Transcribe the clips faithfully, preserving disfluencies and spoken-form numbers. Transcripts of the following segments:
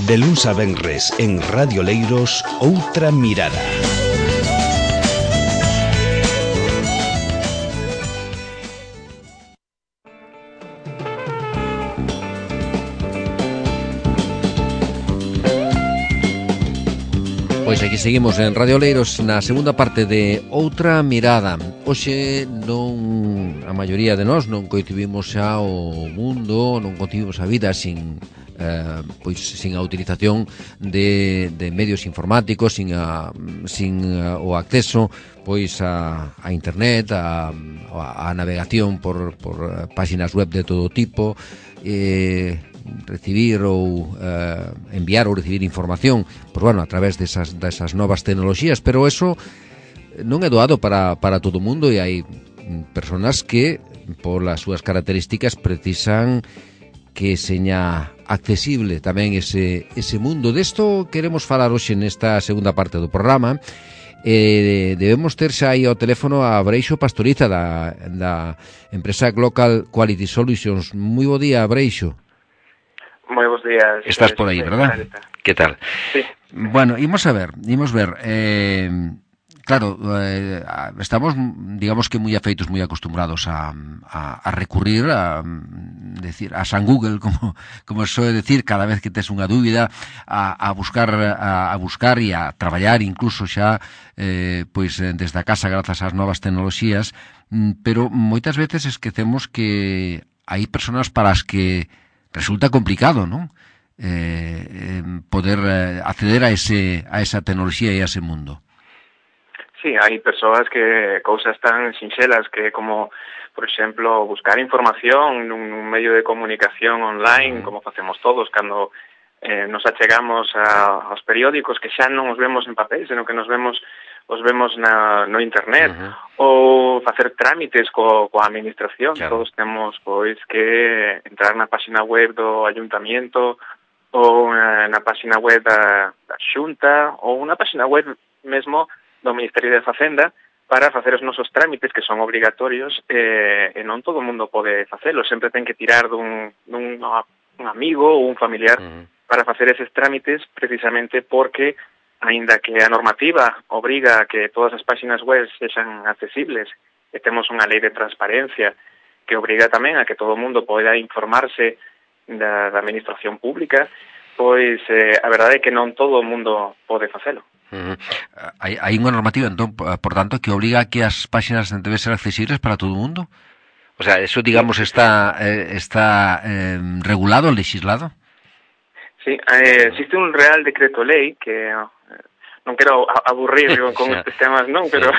De luns a venres en Radio Leiros, Outra Mirada. Pois aquí seguimos en Radio Leiros na segunda parte de Outra Mirada. Hoxe non a maioría de nós non coincidimos xa o mundo, non concibimos a vida sin eh, pois sin a utilización de, de medios informáticos, sin a, sin a, o acceso pois a, a internet, a, a navegación por, por páxinas web de todo tipo, eh, recibir ou eh, enviar ou recibir información, pois bueno, a través desas, desas novas tecnoloxías, pero eso non é doado para, para todo o mundo e hai personas que, polas súas características, precisan que seña accesible tamén ese, ese mundo. Desto queremos falar hoxe nesta segunda parte do programa. Eh, debemos ter xa aí ao teléfono a Breixo Pastoriza da, da empresa Global Quality Solutions. Moi bo día, Breixo. Moi bons días. Estás por aí, verdad? Que tal? Sí. Bueno, imos a ver, imos ver. Eh, claro, eh, estamos, digamos que moi afeitos, moi acostumbrados a, a, a recurrir a, decir, a San Google, como, como soe decir, cada vez que tes unha dúbida, a, a buscar a, a buscar e a traballar incluso xa eh, pois desde a casa grazas ás novas tecnoloxías, pero moitas veces esquecemos que hai persoas para as que resulta complicado, non? Eh, poder acceder a ese a esa tecnoloxía e a ese mundo. Sí, hai persoas que cousas tan sinxelas que como, por exemplo, buscar información nun medio de comunicación online, uh-huh. como facemos todos cando eh, nos achegamos a, aos periódicos, que xa non os vemos en papel, senón que nos vemos os vemos na, no internet, uh-huh. ou facer trámites co, coa administración. Claro. Todos temos pois que entrar na página web do ayuntamiento ou na, na página web da, da Xunta ou na página web mesmo do Ministerio de Facenda para facer os nosos trámites que son obrigatorios eh, e non todo o mundo pode facelo. Sempre ten que tirar dun, dun un amigo ou un familiar uh-huh. para facer eses trámites precisamente porque aínda que a normativa obriga a que todas as páxinas web sexan accesibles e temos unha lei de transparencia que obriga tamén a que todo o mundo poida informarse da, da administración pública, pois eh, a verdade é que non todo o mundo pode facelo. Uh-huh. Hai, hai unha normativa, entón, por tanto, que obriga a que as páxinas deben ser accesibles para todo o mundo? O sea, eso, digamos, está, eh, está eh, regulado, legislado? Sí, eh, existe un Real Decreto Lei que non quero aburrir con estes temas, non, pero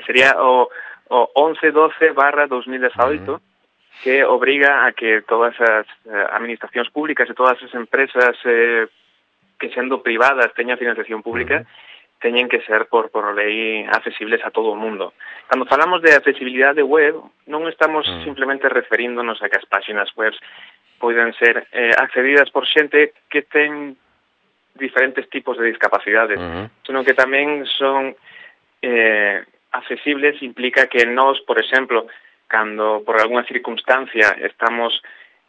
sería o, o once doce barra dos mil dezaoito uh-huh. que obriga a que todas as eh, administracións públicas e todas as empresas eh, que sendo privadas teñan financiación pública uh-huh. teñen que ser por, por lei accesibles a todo o mundo. Cando falamos de accesibilidade web, non estamos uh-huh. simplemente referíndonos a que as páxinas web poden ser eh, accedidas por xente que ten diferentes tipos de discapacidades, uh-huh. senón que tamén son eh, accesibles, implica que nós, por exemplo, cando por alguna circunstancia estamos,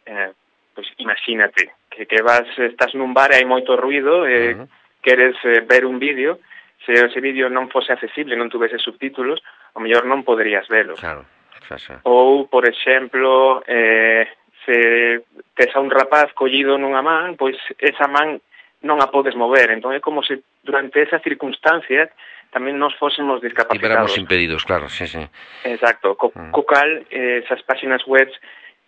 eh, pues imagínate, que, que vas, estás nun bar e hai moito ruido, e uh-huh. queres eh, ver un vídeo, se ese vídeo non fose accesible, non tuvese subtítulos, ao mellor non poderías velo. Claro, claro. Ou, por exemplo, eh, se tes a un rapaz collido nunha man, pois esa man non a podes mover. Entón é como se durante esa circunstancia tamén nos fósemos discapacitados. Estiveramos impedidos, claro, sí, sí. Exacto. Co, mm. co cal, eh, esas páxinas web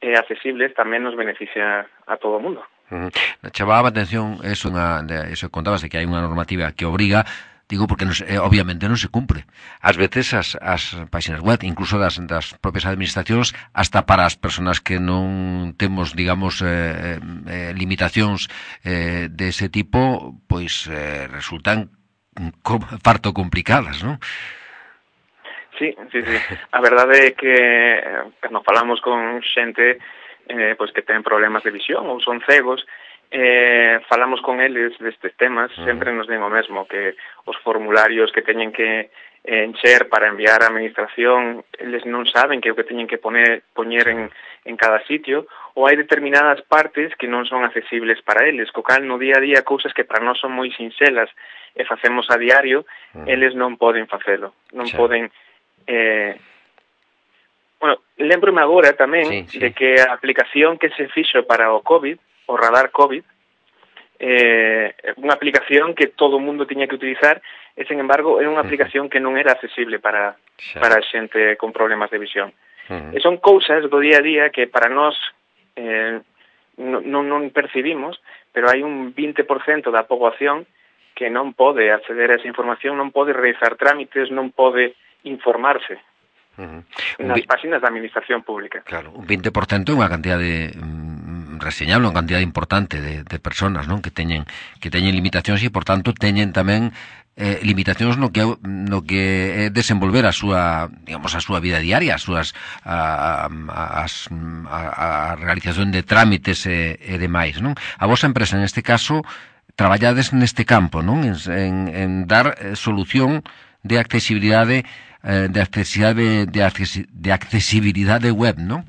eh, accesibles tamén nos beneficia a todo o mundo. Uh-huh. Chamaba a atención eso, unha, eso contabas de que hai unha normativa que obriga. Digo, porque non, eh, obviamente non se cumpre. Ás veces as, as páxinas web, incluso das, das propias administracións, hasta para as persoas que non temos, digamos, eh, eh, limitacións eh, dese tipo, pois eh, resultan com, farto complicadas, non? Sí, sí, sí. A verdade é que eh, nos falamos con xente eh, pois que ten problemas de visión ou son cegos, eh, falamos con eles destes temas, uh-huh. sempre nos den o mesmo, que os formularios que teñen que encher para enviar á administración, eles non saben que é o que teñen que poner, poñer en, en cada sitio, ou hai determinadas partes que non son accesibles para eles, co cal no día a día cousas que para nós son moi sinxelas e facemos a diario, uh-huh. eles non poden facelo, non sí. poden... Eh, bueno, lembrome agora tamén sí, sí. de que a aplicación que se fixo para o COVID, o radar COVID, eh, unha aplicación que todo o mundo tiña que utilizar e, sen embargo, é unha aplicación que non era accesible para, sí. para a xente con problemas de visión. Uh-huh. E son cousas do día a día que para nós eh, non, non percibimos, pero hai un vinte por cento da poboación que non pode acceder a esa información, non pode realizar trámites, non pode informarse uh-huh. nas páxinas da administración pública. Claro, un vinte por cento é unha cantidad de... reseñable, unha cantidad importante de, de personas, non? Que teñen que teñen limitacións e, por tanto, teñen tamén eh, limitacións no que no que é desenvolver a súa, digamos, a súa vida diaria, as súas a, a, as, a, a realización de trámites e, e demais, non? A vosa empresa, en este caso, traballades neste campo, non? En, en, en dar eh, solución de accesibilidade eh, de accesibilidade de, accesi, de accesibilidade web, non?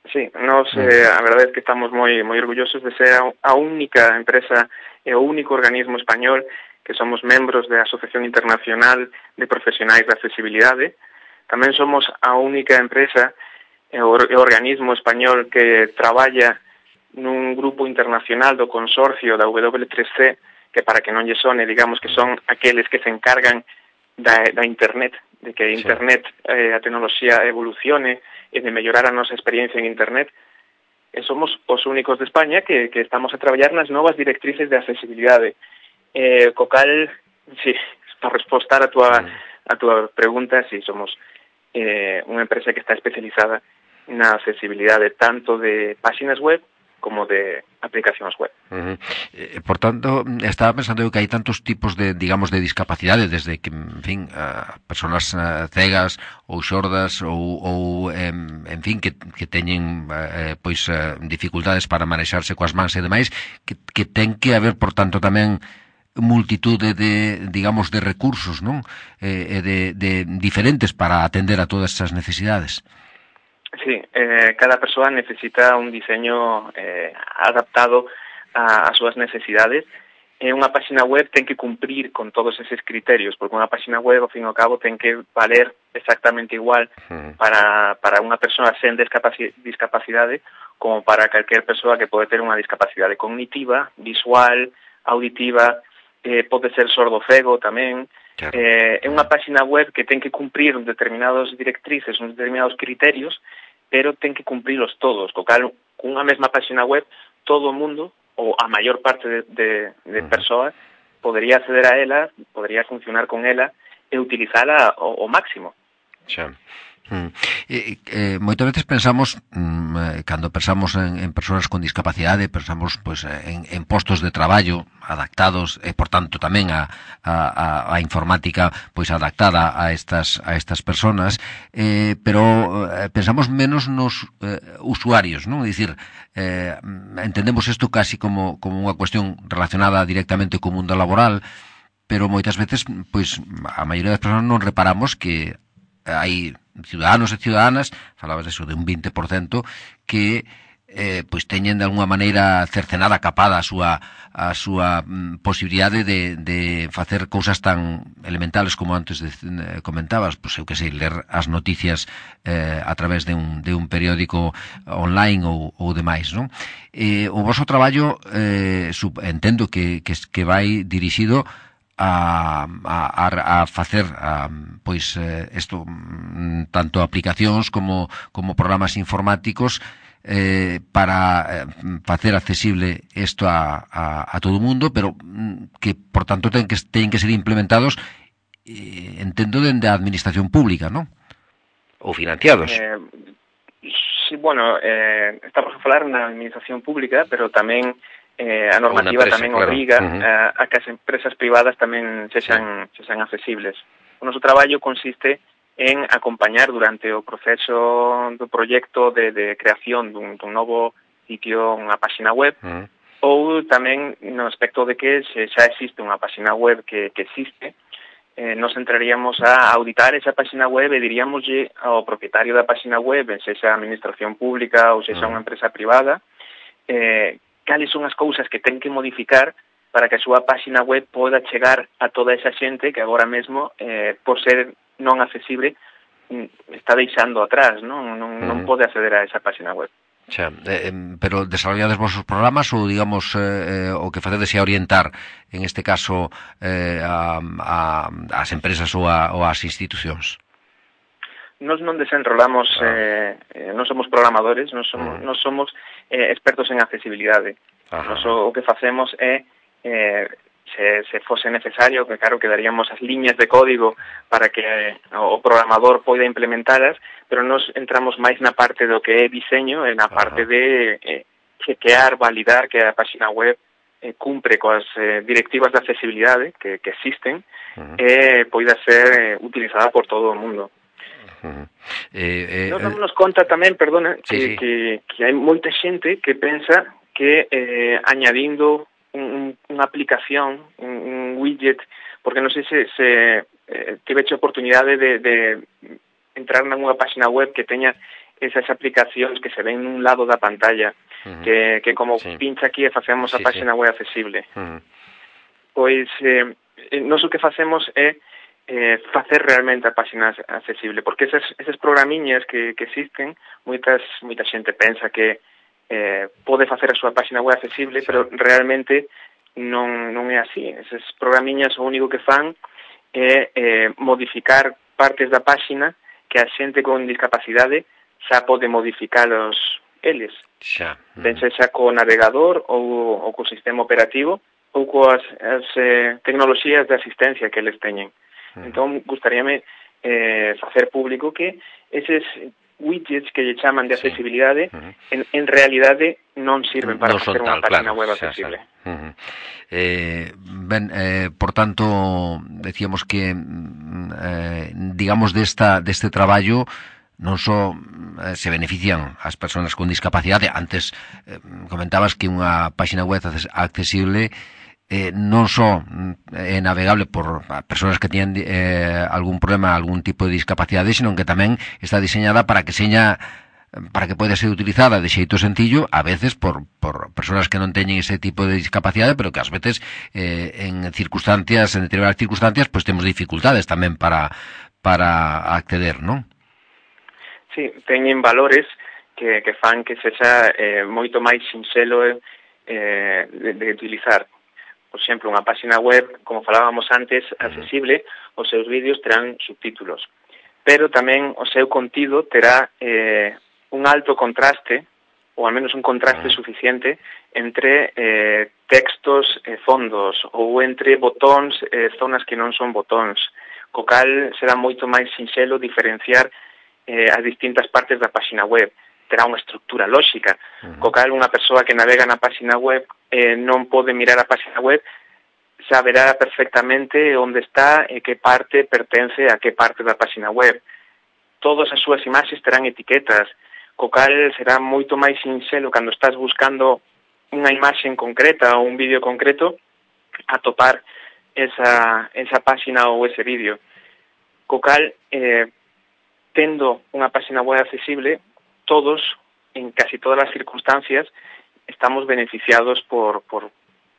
Sí, nos, eh, a verdade é que estamos moi moi orgullosos de ser a única empresa e o único organismo español que somos membros da Asociación Internacional de Profesionais de Accesibilidade. Tamén somos a única empresa e o organismo español que traballa nun grupo internacional do consorcio da W tres C, que para que non lle sone, digamos que son aqueles que se encargan da, da Internet, de que Internet, eh, a tecnoloxía evolucione e de mellorar a nosa experiencia en Internet. E somos os únicos de España que, que estamos a traballar nas novas directrices de accesibilidade. Eh, co cal, sí, para respostar a tua, a tua pregunta, sí, somos eh, unha empresa que está especializada na accesibilidade tanto de páxinas web como de aplicacións web. Uh-huh. Eh, por tanto, estaba pensando eu que hai tantos tipos de, digamos, de discapacidade, desde que, en fin, uh, personas uh, cegas ou xordas ou, ou em, en fin, que, que teñen uh, pois uh, dificultades para manexarse coas mans e demais, que, que ten que haber, por tanto, tamén multitude de, digamos, de recursos, non? Eh, de, de diferentes para atender a todas esas necesidades. Sí, eh, cada persoa necesita un diseño eh, adaptado a, a súas necesidades e unha páxina web ten que cumprir con todos eses criterios, porque unha páxina web, ao fin e ao cabo, ten que valer exactamente igual para, para unha persoa sen discapaci- discapacidade como para calquer persoa que pode ter unha discapacidade cognitiva, visual, auditiva, eh, pode ser sordo-cego tamén. Claro. Eh, é unha páxina web que ten que cumprir determinados directrices, uns determinados criterios, pero ten que cumprilos todos. Co cal, cunha mesma páxina web, todo o mundo, ou a maior parte de, de, de persoas, podería acceder a ela, podería funcionar con ela e utilizala ao, ao máximo. Xa. Mm. Eh, eh, moitas veces pensamos mm, cando pensamos en, en persoas con discapacidade, pensamos pois, en, en postos de traballo adaptados e por tanto tamén a, a, a informática pois adaptada a estas a estas persoas, eh, pero eh, pensamos menos nos eh, usuarios, non? É dicir, eh, entendemos isto casi como, como unha cuestión relacionada directamente co mundo laboral, pero moitas veces pois a maioría das persoas non reparamos que hai ciudadanos e ciudadanas, falabas eso de un vinte por cento, que eh, pois teñen de alguna maneira cercenada, capada a súa, a súa mm, posibilidade de, de facer cousas tan elementales como antes de, eh, comentabas, pois eu que sei, ler as noticias eh, a través de un, de un periódico online ou, ou demais, non? Eh, o voso traballo eh, sub, entendo que, que, que vai dirixido a, a, a facer a, pois isto tanto aplicacións como, como programas informáticos eh, para eh, facer accesible isto a, a, a todo o mundo, pero que por tanto ten que, ten que ser implementados eh, entendo dende a administración pública, non? Ou financiados. Eh, sí, bueno, eh, estamos a falar na administración pública, pero tamén Eh, a normativa empresa, tamén obriga claro. uh-huh. a, a que as empresas privadas tamén sexan, sí. sexan accesibles. O noso traballo consiste en acompañar durante o proceso do proxecto de, de creación dun, dun novo sitio, unha páxina web, uh-huh. ou tamén no aspecto de que se xa existe unha página web que, que existe, eh, nos entraríamos a auditar esa página web e diríamoslle ao propietario da página web, sexa a administración pública ou sexa unha empresa privada, eh, cales son as cousas que ten que modificar para que a súa página web poda chegar a toda esa xente que agora mesmo, eh, por ser non accesible, está deixando atrás, non, non, non pode acceder a esa página web. Xa, eh, pero desarrollades vosos programas ou, digamos, eh, o que facedes é orientar, en este caso, eh, a, a, as empresas ou, a, ou as institucións? Nos non desenrolamos, ah. eh, non somos programadores, non somos, mm. non somos eh, expertos en accesibilidade. Nos, o, o que facemos é, eh, se, se fose necesario, que claro, que daríamos as liñas de código para que eh, o programador poida implementalas, pero nos entramos máis na parte do que é diseño, e na parte Ajá. de eh, chequear, validar que a página web eh, cumpre coas eh, directivas de accesibilidade que, que existen uh-huh. e poida ser eh, utilizada por todo o mundo. Uh-huh. Eh, eh, nos damos conta tamén, perdona, sí, que, sí. que, que hai moita xente que pensa que eh, añadindo un, unha aplicación, un, un widget, porque non sei se, se eh, tiveche oportunidade de, de entrar nunha página web que teña esas aplicacións que se ven nun lado da pantalla, uh-huh. que, que como sí. pincha aquí e facemos sí, a página sí. web accesible. Uh-huh. Pois, eh, nós o que facemos é eh, facer realmente a página accesible, porque esas, esas programiñas que, que existen, moitas, moita xente pensa que eh, pode facer a súa página web accesible, sí. pero realmente non, non é así. Esas programiñas o único que fan é eh, modificar partes da página que a xente con discapacidade xa pode modificalos eles. Xa. Uh-huh. Ben xa co navegador ou, ou co sistema operativo ou coas as, eh, tecnoloxías de asistencia que eles teñen. Uh-huh. Entón, gustaríame eh, facer público que eses widgets que lle chaman de accesibilidade, sí. uh-huh. en, en realidade non sirven para non facer unha tal, página claro, web xa, accesible. Xa. Uh-huh. Eh, ben, eh, por tanto, decíamos que, eh, digamos, desta, deste traballo non só eh, se benefician as persoas con discapacidade. Antes eh, comentabas que unha página web accesible Eh, non só é navegable por persoas que teñen eh, algún problema, algún tipo de discapacidade, senón que tamén está diseñada para que seña para que poida ser utilizada de xeito sencillo, a veces por, por persoas que non teñen ese tipo de discapacidade, pero que ás veces eh, en circunstancias, en determinadas circunstancias, pois pues, temos dificultades tamén para para acceder, non? Sí, teñen valores que, que fan que sexa eh, moito máis sinxelo eh, de, de utilizar. Por exemplo, unha página web, como falábamos antes, accesible, os seus vídeos terán subtítulos, pero tamén o seu contido terá eh, un alto contraste, ou al menos un contraste suficiente, entre eh, textos e fondos, ou entre botóns e zonas que non son botóns, co cal será moito máis sinxelo diferenciar eh, as distintas partes da página web. Terá unha estructura lóxica, uh-huh. co cal unha persoa que navega na página web eh, non pode mirar a página web, saberá perfectamente onde está e que parte pertence a que parte da página web. Todas as súas imaxes terán etiquetas, co cal será moito máis sinxelo cando estás buscando unha imaxe concreta ou un vídeo concreto, atopar esa, esa página ou ese vídeo. Co cal, eh, tendo unha página web accesible, todos, en casi todas as circunstancias, estamos beneficiados por, por,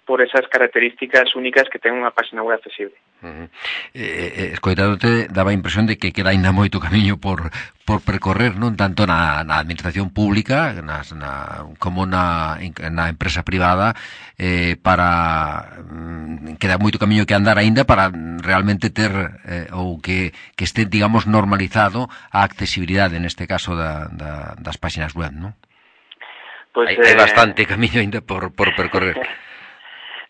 por esas características únicas que ten unha página web accesible. Uh-huh. Eh, escoitándote, daba a impresión de que queda ainda moito camiño por, por percorrer, non tanto na, na administración pública nas, na, como na, na empresa privada, eh, para mm, queda moito camiño que andar aínda para realmente ter eh, ou que, que este, digamos, normalizado a accesibilidade, neste caso da, da, das páxinas web, non? Pues, hai, eh... hai bastante camiño aínda por, por percorrer.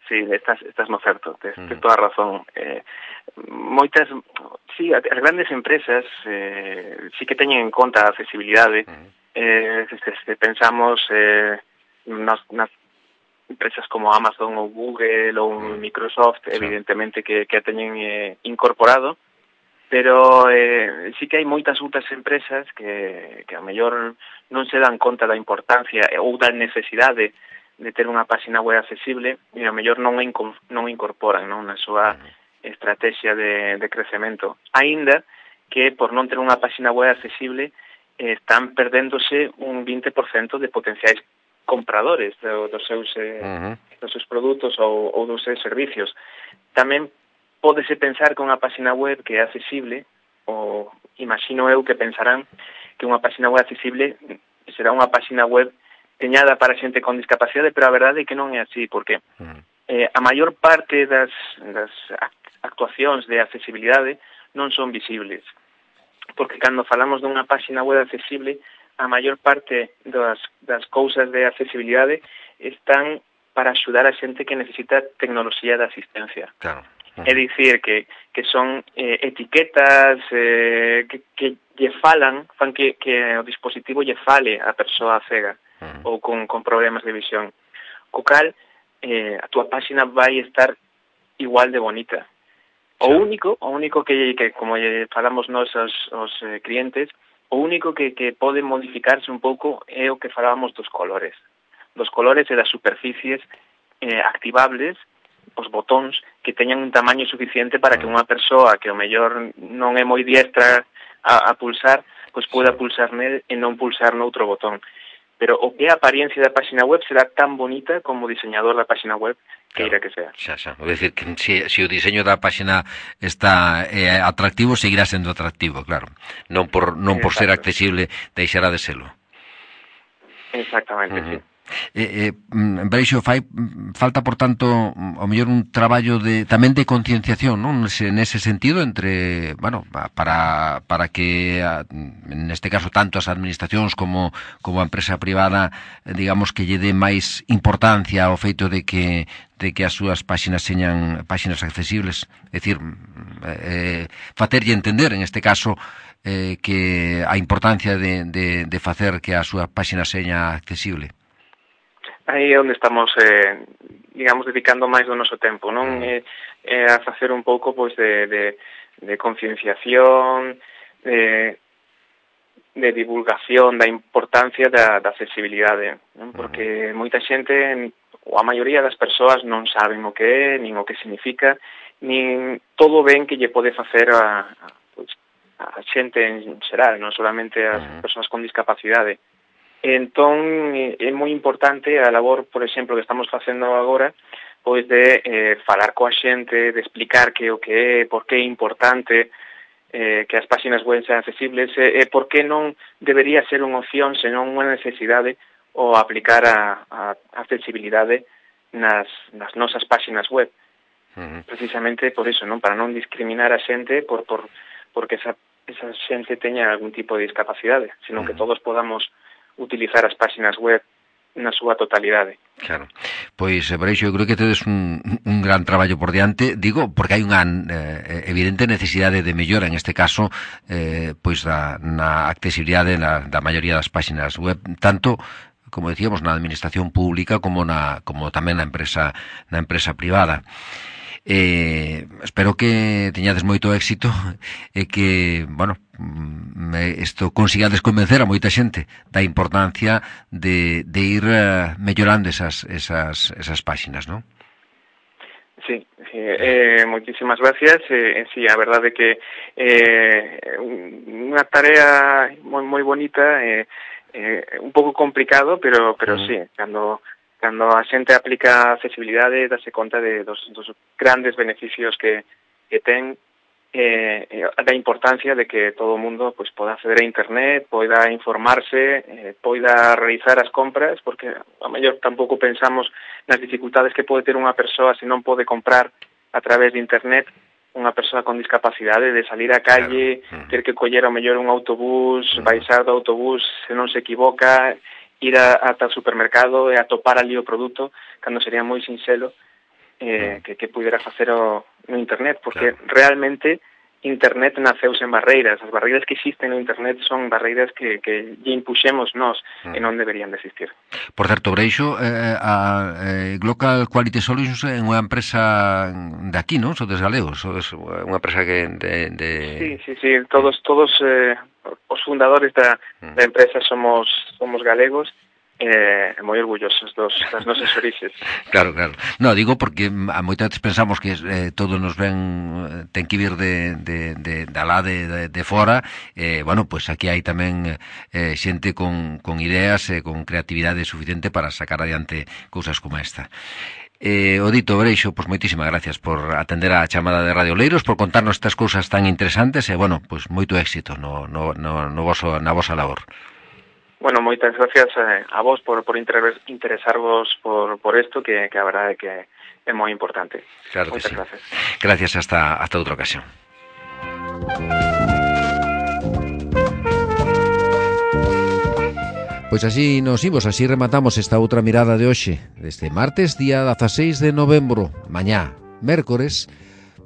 Sí, estás, estás no certo, tens, tens toda a razón. Eh, moitas, sí, as grandes empresas eh, sí que teñen en conta a accesibilidade. Uh-huh. Eh, se, se pensamos eh, nas, nas empresas como Amazon ou Google ou uh-huh. Microsoft, sí. evidentemente que, que a teñen eh, incorporado, pero eh, sí que hai moitas outras empresas que, que a mellor non se dan conta da importancia ou da necesidade de ter unha página web accesible e ao mellor non a non incorporan, non, na súa estrategia de, de crecemento. Aínda que por non ter unha página web accesible eh, están perdéndose un vinte por cento de potenciais compradores do, dos seus eh, uh-huh. dos seus produtos ou, ou dos seus servicios. Tamén pódese pensar que unha página web que é accesible, ou imagino eu que pensarán que unha página web accesible será unha página web teñada para xente con discapacidade, pero a verdade é que non é así, porque eh, a maior parte das, das actuacións de accesibilidade non son visibles. Porque cando falamos dunha página web accesible, a maior parte das, das cousas de accesibilidade están para axudar a xente que necesita tecnoloxía de asistencia. Claro. Uh-huh. É dicir, que, que son eh, etiquetas eh, que, que lle falan, fan que, que o dispositivo lle fale a persoa cega uh-huh. ou con, con problemas de visión. Co cal, eh, a túa página vai estar igual de bonita. O único, o único que, que como falamos nós aos, aos eh, clientes, o único que, que pode modificarse un pouco é o que falábamos dos colores. Dos colores e das superficies eh, activables, os botóns que teñan un tamaño suficiente para que unha persoa que o mellor non é moi diestra a, a pulsar, pois poda pulsar nel e non pulsar noutro botón. Pero o que é a apariencia da página web será tan bonita como o diseñador da página web queira que sea. Xa, xa. É dicir, que se, se o diseño da página está eh, atractivo, seguirá sendo atractivo, claro. Non por non por ser accesible deixará de selo. Exactamente, uh-huh. sí. Eh, eh, Breixo, fai falta, por tanto, ao mellor un traballo de tamén de concienciación, non? Nese, nese sentido, entre, bueno, para para que neste caso tanto as administracións como como a empresa privada, digamos, que lle dé máis importancia ao feito de que de que as súas páxinas señan páxinas accesibles, é dicir, eh, facerlle entender, en este caso, eh, que a importancia de, de, de facer que a súa páxina seña accesible. Aí é onde estamos, eh, digamos, dedicando máis do noso tempo, non? É, é a facer un pouco, pois, de, de, de concienciación, de, de divulgación da importancia da, da accesibilidade, non? Porque moita xente, ou a maioría das persoas, non saben o que é, nin o que significa, nin todo ben que lle pode facer a, a, pois, a xente en xeral, non solamente as persoas con discapacidade. Entón, é moi importante a labor, por exemplo, que estamos facendo agora, pois de eh, falar coa xente, de explicar que o que é, por que é importante eh, que as páxinas web sean accesibles, e eh, por que non debería ser unha opción, senón unha necesidade, o aplicar a, a accesibilidade nas, nas nosas páxinas web. Uh-huh. Precisamente por iso, non? Para non discriminar a xente por, por, porque esa, esa xente teña algún tipo de discapacidade, senón uh-huh. que todos podamos utilizar as páxinas web na súa totalidade. Claro. Pois, Breixo, eu creo que tedes un, un gran traballo por diante, digo, porque hai unha eh, evidente necesidade de mellora, en este caso, eh, pois da, na accesibilidade na, da maioría das páxinas web, tanto, como decíamos, na administración pública como na como tamén na empresa na empresa privada. Eh, espero que teñades moito éxito e que, bueno, isto consigades convencer a moita xente da importancia de, de ir uh, mellorando esas, esas, esas páxinas, non? Sí, sí eh, moitísimas gracias. Eh, sí, a verdade é que eh, unha tarea moi moi bonita, eh, eh, un pouco complicado, pero pero uh-huh. sí, cando cando a xente aplica accesibilidade, dase conta de dos, dos grandes beneficios que, que ten, eh, da importancia de que todo o mundo pues, poda acceder a internet, poida informarse, eh, poida realizar as compras, porque a mellor tampouco pensamos nas dificultades que pode ter unha persoa se non pode comprar a través de internet, unha persoa con discapacidade, de salir á calle, claro. ter que coller ao mellor un autobús, uh-huh. baixar do autobús se non se equivoca, ir a, ata o supermercado e atopar ali o produto, cando sería moi sinxelo eh, que, que pudera facer o, no internet, porque claro. realmente internet naceu sen barreiras. As barreiras que existen no internet son barreiras que, que lle impuxemos nós uh-huh. e non deberían de existir. Por certo, Breixo, eh, a eh, Global Quality Solutions é unha empresa de aquí, non? Sodes galegos, sodes unha empresa que de, de... Sí, sí, sí, todos todos eh, os fundadores da, da empresa somos somos galegos eh, moi orgullosos dos, das nosas orixes. Claro, claro. No, digo porque a moitas veces pensamos que eh, todo nos ven, ten que vir de, de, de, de alá de, de, de fora, eh, bueno, pois pues aquí hai tamén eh, xente con, con ideas e eh, con creatividade suficiente para sacar adiante cousas como esta. Eh, Odito Breixo, pois moitísimas gracias por atender a chamada de Radio Oleiros, por contarnos estas cousas tan interesantes e, bueno, pois moito éxito no, no, no, no voso, na vosa labor. Bueno, moitas gracias eh, a vos por, por interesarvos por, por esto, que, que a verdade que é moi importante. Claro que moitas sí. gracias. Gracias, hasta, hasta outra ocasión. Pois así nos imos, así rematamos esta outra mirada de hoxe, deste martes, día dezaseis de novembro. Mañá, mércores,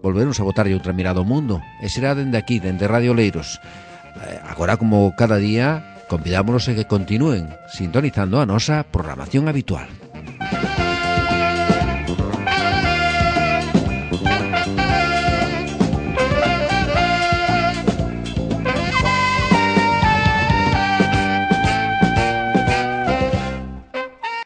volveremos a botarlle outra mirada ao mundo, e será dende aquí, dende Radio Oleiros. Agora, como cada día, convidámonos a que continúen sintonizando a nosa programación habitual.